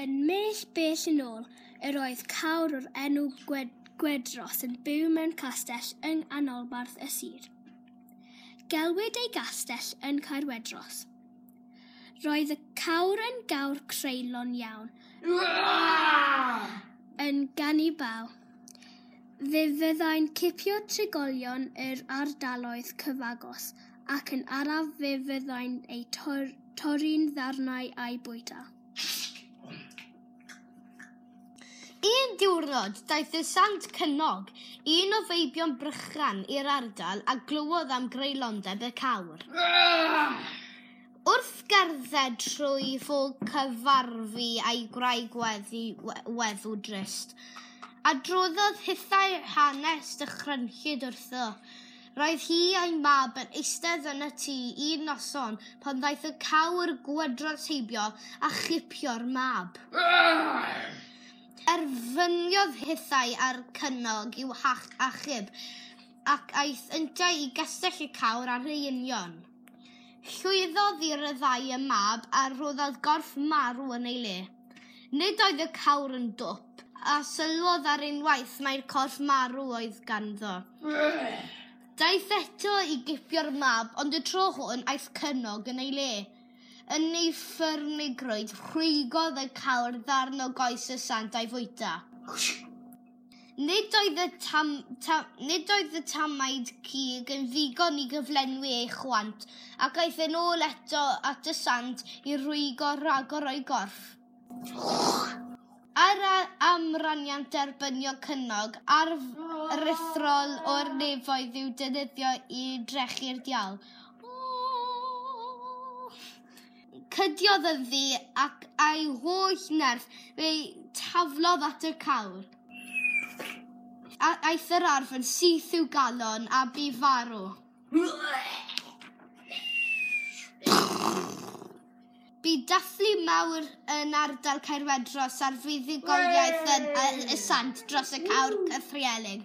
Yn bell, bell yn ôl, yr oedd cawr o'r enw Gwedros yn byw mewn castell yng nghanolbarth y sir. Gelwid ei gastell yn Caerwedros. Roedd y cawr yn gawr creulon iawn, yn ganibal. Fe fyddai'n cipio trigolion yr ardaloedd cyfagos ac yn araf fe fyddai'n eu torri'n ddarnau a'u bwyta. Un diwrnod, daeth y Sant Cynog, un o feibion Brychan, i'r ardal a glywodd am greulondeb y cawr. Wrth gerdded trwy ffog cyfarfu â'i gwraig weddw drist. Adroddodd hithau hanes dychrynllyd wrtho. Roedd hi a'i mab yn eistedd yn y tŷ un noson pan ddaeth y cawr Gwedros heibio a chipio'r mab. Erfyniodd hithau ar Cynog i'w achub ac aeth yntau i gastell y cawr ar ei union. Llwyddodd i ryddhau y mab a rhoddodd gorff marw yn ei le. Nid oedd y cawr yn dwp, a sylwodd ar unwaith mai'r corff marw oedd ganddo. Daeth eto i gipio'r mab, ond y tro hwn aeth Cynog yn ei le. Yn ei ffyrnigrwydd, rhwygodd y cawr ddarn o goes y sant a'i fwyta. Nid oedd y tam, ta, nid oedd y tamaid cig yn ddigon i gyflenwi ei chwant, ac aeth yn ôl eto at y sant i rwygo rhagor o'i gorff. Ar amraniant derbynio Cynog, arf aruthrol o'r nefoedd i'w defnyddio i drechu'r diawl. Cydiodd ynddi ac a'i holl nerth fe'i taflodd at y cawr. A aeth yr arf yn syth i'w galon a bu farw. Bu dathlu mawr yn ardal Caerwedros ar fuddugoliaeth y sant dros y cawr cythryblus.